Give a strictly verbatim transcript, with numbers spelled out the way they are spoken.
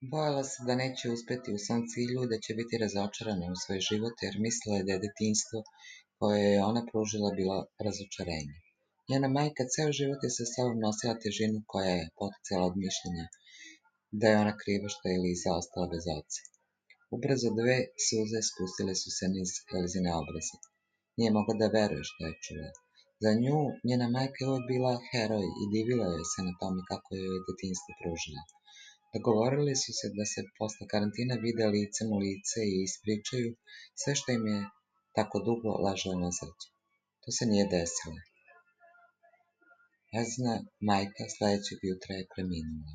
Bojala se da neće uspeti u svom cilju i da će biti razočarana u svoj život, jer mislila je da je detinjstvo koje je ona pružila bilo razočarenje. Njena majka ceo život je sa sobom nosila težinu koja je poticala od mišljenja da je ona kriva što je Eliza ostala bez oca. Ubrzo dve suze spustile su se niz Elizine obraze. Nije mogla da veruje što je čula. Za nju njena majka je uvek bila heroj i divila joj se na tome kako joj je detinjstvo pružila. Dogovorili su se da se posle karantina vide licem u lice i ispričaju sve što im je tako dugo ležalo na srcu. To se nije desilo. Elizina majka sledećeg jutra je preminula.